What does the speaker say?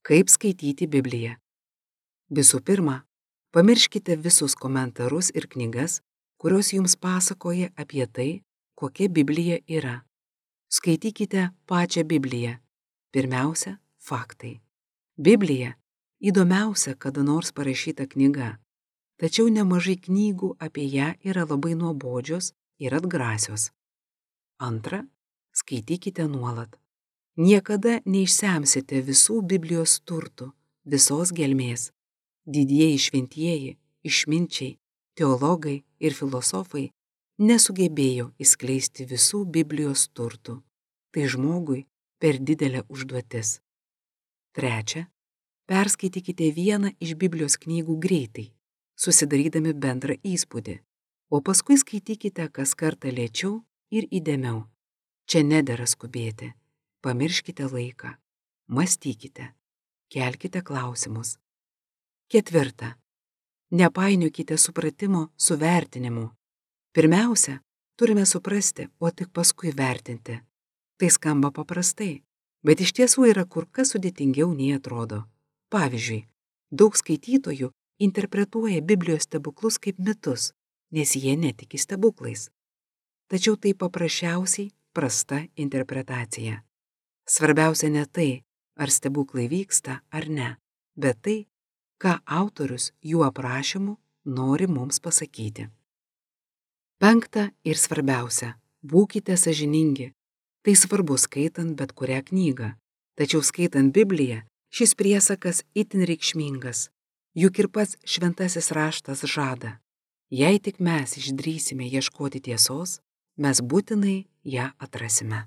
Kaip skaityti Bibliją? Visų pirma, pamirškite visus komentarus ir knygas, kurios jums pasakoja apie tai, kokia Biblija yra. Skaitykite pačią Bibliją. Pirmiausia, faktai. Biblija įdomiausia kada nors parašyta knyga, tačiau nemažai knygų apie ją yra labai nuobodžios ir atgrasios. Antra, skaitykite nuolat. Niekada neišsemsite visų Biblijos turtų, visos gelmės. Didieji šventieji, išminčiai, teologai ir filosofai nesugebėjo įskleisti visų Biblijos turtų. Tai žmogui per didelė užduotis. Trečia, perskaitykite vieną iš Biblijos knygų greitai, susidarydami bendrą įspūdį, o paskui skaitykite kas kartą lėčiau ir įdėmiau. Čia nedera skubėti. Pamirškite laiką, mąstykite, kelkite klausimus. Ketvirta, nepainiokite supratimo su vertinimu. Pirmiausia, turime suprasti, o tik paskui vertinti. Tai skamba paprastai, bet iš tiesų yra kur kas sudėtingiau nei atrodo. Pavyzdžiui, daug skaitytojų interpretuoja Biblijos stebuklus kaip mitus, nes jie netiki stebuklais. Tačiau tai paprasčiausiai prasta interpretacija. Svarbiausia ne tai, ar stebuklai vyksta ar ne, bet tai, ką autorius jų aprašymu nori mums pasakyti. Penkta ir svarbiausia, būkite sąžiningi. Tai svarbu skaitant bet kurią knygą, tačiau skaitant Bibliją šis priesakas itin reikšmingas, juk ir pats šventasis raštas žada. Jei tik mes išdrįsime ieškoti tiesos, mes būtinai ją atrasime.